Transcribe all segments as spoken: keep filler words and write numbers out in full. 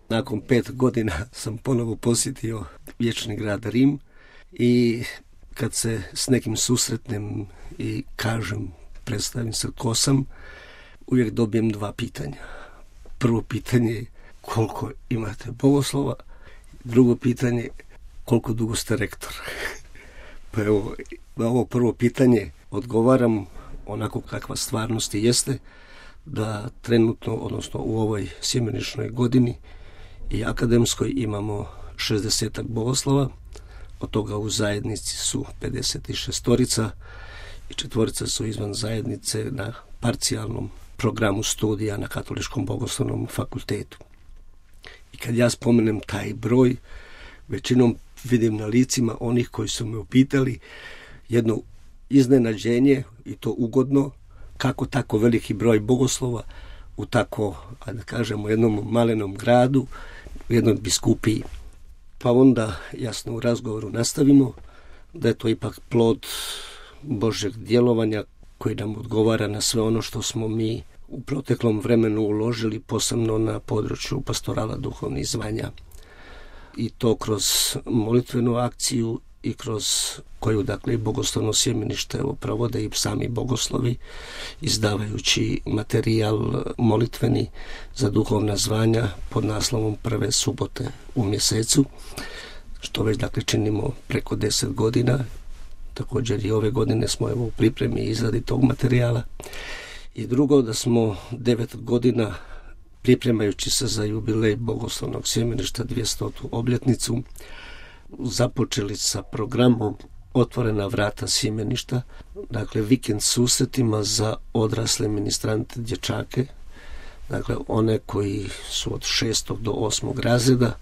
nakon pet godina sam ponovo posjetio vječni grad Rim i kad se s nekim susretnem i kažem, predstavim se ko sam, uvijek dobijem dva pitanja. Prvo pitanje je koliko imate bogoslova, drugo pitanje koliko dugo ste rektor. Pa evo, na ovo prvo pitanje odgovaram onako kakva stvarnost jeste, da trenutno, odnosno u ovoj sjemeničnoj godini i akademskoj imamo šezdesetak bogoslova, od toga u zajednici su pedeset šestorica i četvorica su izvan zajednice na parcijalnom programu studija na Katoličkom bogoslovnom fakultetu. I kad ja spomenem taj broj, većinom vidim na licima onih koji su me upitali jedno iznenađenje, i to ugodno, kako tako veliki broj bogoslova u tako, da kažemo, jednom malenom gradu, u jednoj biskupiji. Pa onda, jasno, u razgovoru nastavimo da je to ipak plod Božjeg djelovanja koji nam odgovara na sve ono što smo mi u proteklom vremenu uložili, posebno na području pastorala duhovnih zvanja. I to kroz molitvenu akciju i kroz koju, dakle, i bogoslovno sjemenište provode i sami bogoslovi, izdavajući materijal molitveni za duhovna zvanja pod naslovom Prve subote u mjesecu, što već, dakle, činimo preko deset godina. Također i ove godine smo evo u pripremi i izradi tog materijala. I drugo, da smo devet godina, pripremajući se za jubilej bogoslovnog sjemeništa, dvjestotu obljetnicu, započeli sa programom Otvorena vrata sjemeništa, dakle vikend susretima za odrasle ministrante dječake, dakle one koji su od šestog do osmog razreda.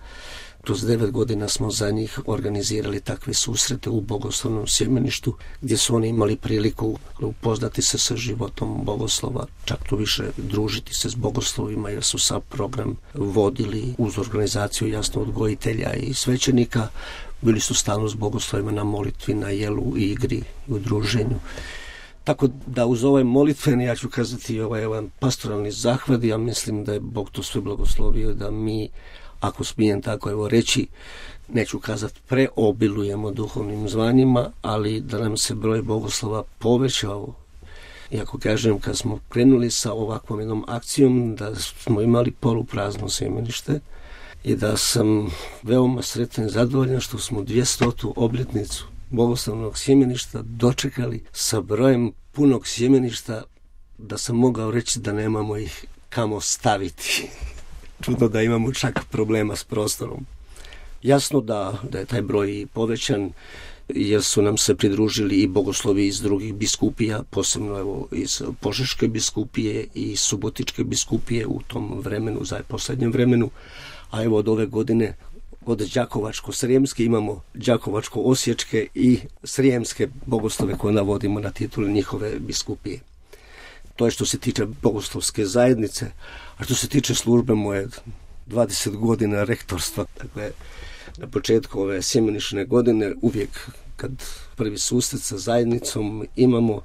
Kroz devet godina smo za njih organizirali takve susrete u bogoslovnom sjemeništu, gdje su oni imali priliku upoznati se sa životom bogoslova, čak to više družiti se s bogoslovima, jer su sad program vodili uz organizaciju, jasno, odgojitelja i svećenika. Bili su stalno s bogoslovima na molitvi, na jelu, igri i u druženju. Tako da uz ovaj molitveni, ja ću kazati, ovaj jedan pastoralni zahvat, ja mislim da je Bog to sve blagoslovio, da mi, ako smijem tako evo reći, neću kazati preobilujemo duhovnim zvanjima, ali da nam se broj bogoslova povećao. I ako kažem, kad smo krenuli sa ovakvom jednom akcijom, da smo imali poluprazno sjemenište i da sam veoma sretan i zadovoljan što smo dvjestotu obljetnicu bogoslovnog sjemeništa dočekali sa brojem punog sjemeništa, da sam mogao reći da nemamo ih kamo staviti. Čudno da imamo čak problema s prostorom. Jasno da, da je taj broj povećan, jer su nam se pridružili i bogoslovi iz drugih biskupija, posebno evo iz Požeške biskupije i Subotičke biskupije u tom vremenu, za posljednjem vremenu, a evo od ove godine od Đakovačko-Srijemske imamo Đakovačko-Osječke i Srijemske bogoslove koje navodimo na titulu njihove biskupije. To je što se tiče bogoslovske zajednice, a što se tiče službe moje dvadeset godina rektorstva, dakle, na početku ove sjemenične godine, uvijek kad prvi susret sa zajednicom imamo,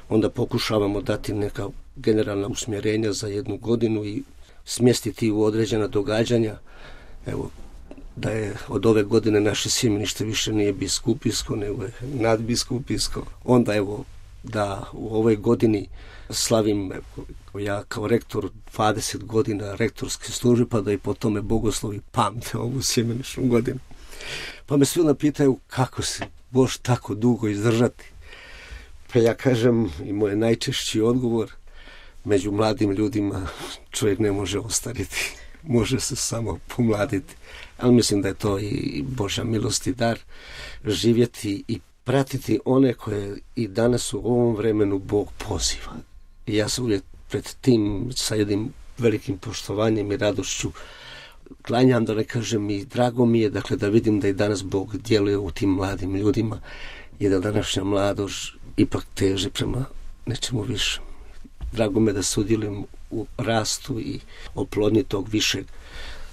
onda pokušavamo dati neka generalna usmjerenja za jednu godinu i smjestiti u određena događanja. Evo, da je od ove godine naše sjemenište više nije biskupijsko, nego je nadbiskupijsko. Onda evo, da u ovoj godini slavim evo, ja kao rektor dvadeset godina rektorske službe, pa da i po tome bogoslovi pamte ovu sjemeničnu godinu. Pa me svi napitaju kako se Bož tako dugo izdržati. Pa ja kažem, i moj najčešći odgovor, među mladim ljudima čovjek ne može ostariti, može se samo pomladiti. Ali mislim da je to i Božja milost i dar, živjeti i pratiti one koje i danas u ovom vremenu Bog poziva. I ja se uvijek pred tim sa jednim velikim poštovanjem i radošću klanjam, da ne kažem, i drago mi je, dakle, da vidim da i danas Bog djeluje u tim mladim ljudima i da današnja mladost ipak teže prema nečemu više. Drago me da sudjelujem u rastu i oplodnji tog višeg,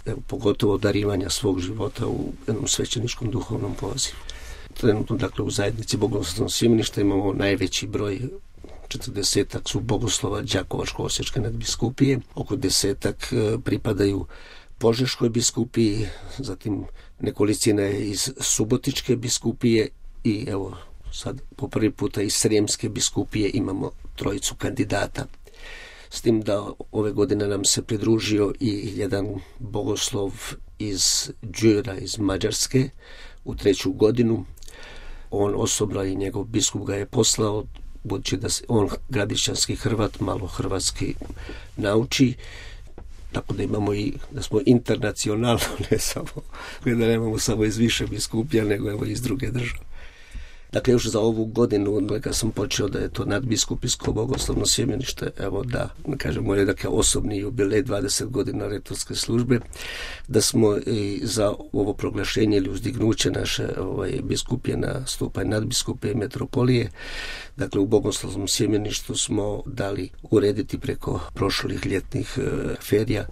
evo, pogotovo darivanja svog života u jednom svećeničkom duhovnom pozivu. Trenutno, dakle, u zajednici bogoslovnog sjemeništa imamo najveći broj, četrdesetak su bogoslova Đakovačko-Osječke nadbiskupije, oko desetak pripadaju Požeškoj biskupiji, zatim nekolicina iz Subotičke biskupije i evo sad po prvi puta iz Srijemske biskupije imamo trojicu kandidata. S tim da ove godine nam se pridružio i jedan bogoslov iz Đura, iz Mađarske, u treću godinu. On osobno i njegov biskup ga je poslao, budući da se on gradišćanski Hrvat, malo hrvatski nauči, tako da imamo i, da smo internacionalno, ne samo, da nemamo samo iz više biskupija, nego evo iz druge države. Dakle, još za ovu godinu, kad sam počeo da je to nadbiskupijsko bogoslovno sjemenište, evo da, kažem, moj dakle, osobni jubilej dvadeset godina rektorske službe, da smo i za ovo proglašenje ili uzdignuće naše ovaj, biskupije na stupanj nadbiskupije metropolije, dakle, u bogoslovnom sjemeništu smo dali urediti preko prošlih ljetnih e, ferija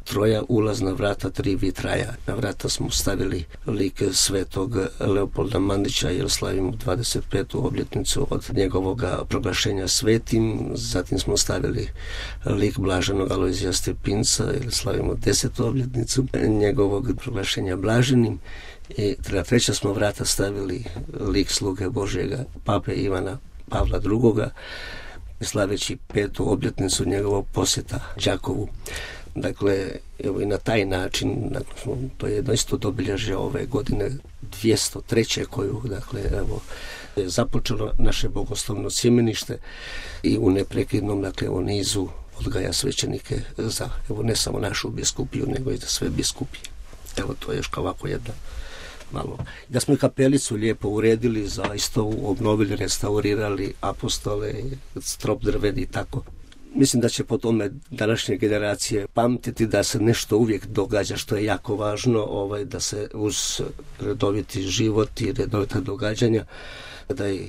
troja ulazna vrata, tri vitraja. Na vrata smo stavili lik svetog Leopolda Mandića jer slavimo dvadeset petu obljetnicu od njegovog proglašenja svetim. Zatim smo stavili lik blaženog Alojzija Stepinca jer slavimo desetu obljetnicu njegovog proglašenja blaženim. I na treća smo vrata stavili lik sluge Božjega pape Ivana Pavla drugoga slaveći petu obljetnicu njegovog posjeta Đakovu. Dakle, evo i na taj način, dakle, to je jedno isto obilježje ove godine dvjesto treće koju, dakle, evo, je započelo naše bogoslovno sjemenište i u neprekidnom, dakle, u nizu odgaja svećenike za, evo, ne samo našu biskupiju, nego i za sve biskupije. Evo, to je još kao ovako jedna malo. Da smo i kapelicu lijepo uredili, zaista obnovili, restaurirali apostole, strop drveni i tako. Mislim da će po tome današnje generacije pamtiti da se nešto uvijek događa što je jako važno, ovaj, da se uz redoviti život i redovita događanja da i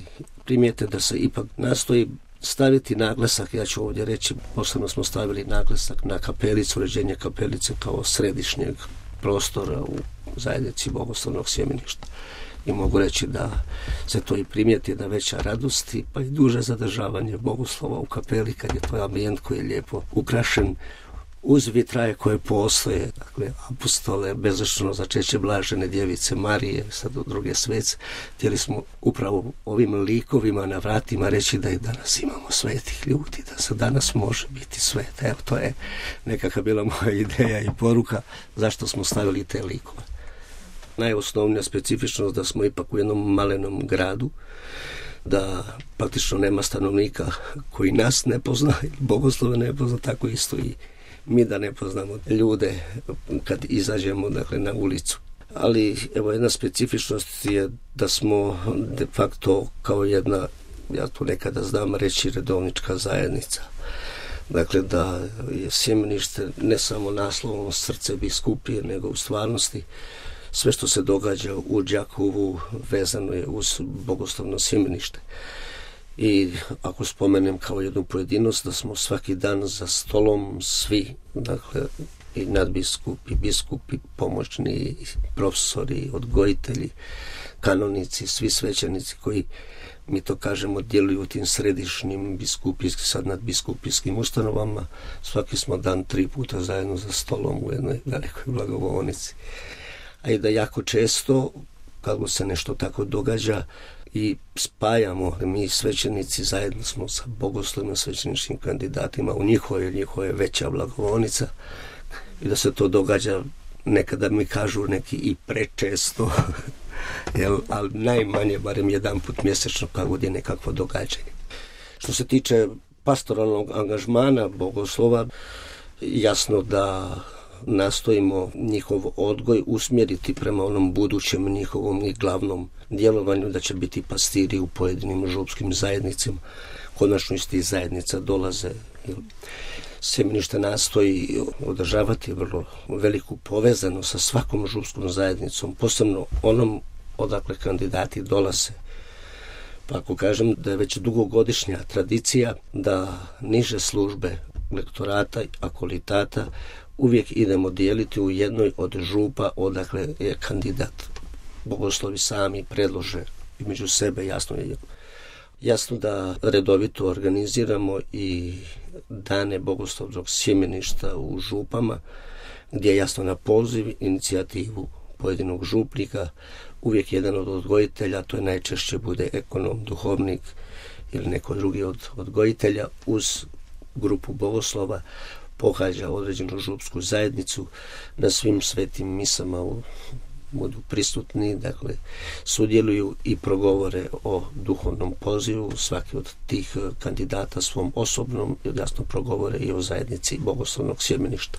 primijete da se ipak nastoji staviti naglasak, ja ću ovdje reći, posebno smo stavili naglasak na kapelicu, uređenje kapelice kao središnjeg prostora u zajednici bogoslovnog sjemeništa. I mogu reći da se to i primijeti, da veća radost i pa i duže zadržavanje bogoslova u kapeli kad je to ambijent koji je lijepo ukrašen uz vitraje koje postoje, dakle apostole, bezrečeno začeće blažene djevice Marije, sad u druge svece. Htjeli smo upravo ovim likovima na vratima reći da i danas imamo svetih ljudi, da se danas može biti svet. Evo, to je nekakva bila moja ideja i poruka zašto smo stavili te likove. Najosnovnija specifičnost da smo ipak u jednom malenom gradu, da praktično nema stanovnika koji nas ne pozna, bogoslove ne pozna, tako isto i mi da ne poznamo ljude kad izađemo, dakle, na ulicu. Ali evo jedna specifičnost je da smo de facto kao jedna, ja to nekada znam reći, redovnička zajednica. Dakle, da je sjemenište ne samo naslovom srce biskupije, nego u stvarnosti sve što se događa u Đakovu vezano je uz bogoslovno sjemenište. I ako spomenem kao jednu pojedinost da smo svaki dan za stolom svi, dakle i nadbiskupi, biskupi, pomoćni profesori, odgojitelji, kanonici, svi svećenici koji, mi to kažemo, djeluju u tim središnjim biskupijskim, sad nadbiskupijskim ustanovama, svaki smo dan tri puta zajedno za stolom u jednoj velikoj blagovolnici. A i da jako često, kako se nešto tako događa, i spajamo, mi svećenici zajedno smo sa bogoslovnim svećeničkim kandidatima u njihove, njihove veća blagovolnica i da se to događa, nekada mi kažu neki i prečesto, jel, ali najmanje, barem jedan put mjesečno kad god je nekakvo događanje. Što se tiče pastoralnog angažmana bogoslova, jasno da nastojimo njihov odgoj usmjeriti prema onom budućem njihovom i glavnom djelovanju, da će biti pastiri u pojedinim župskim zajednicama. Konačno iz tih zajednica dolaze. Sjemenište nastoji održavati vrlo veliku povezanost sa svakom župskom zajednicom, posebno onom odakle kandidati dolaze. Pa ako kažem da je već dugogodišnja tradicija da niže službe lektorata, akolitata uvijek idemo dijeliti u jednoj od župa odakle je kandidat. Bogoslovi sami predlože i među sebe, jasno je. Jasno da redovito organiziramo i dane bogoslovnog sjemeništa u župama gdje je jasno na poziv, inicijativu pojedinog župnika, uvijek jedan od odgojitelja, to je najčešće bude ekonom, duhovnik ili neko drugi od odgojitelja, uz grupu bogoslova pohađa određenu župsku zajednicu, na svim svetim misama budu prisutni, dakle sudjeluju i progovore o duhovnom pozivu, svaki od tih kandidata svom osobnom, jasno progovore i o zajednici bogoslovnog sjemeništva.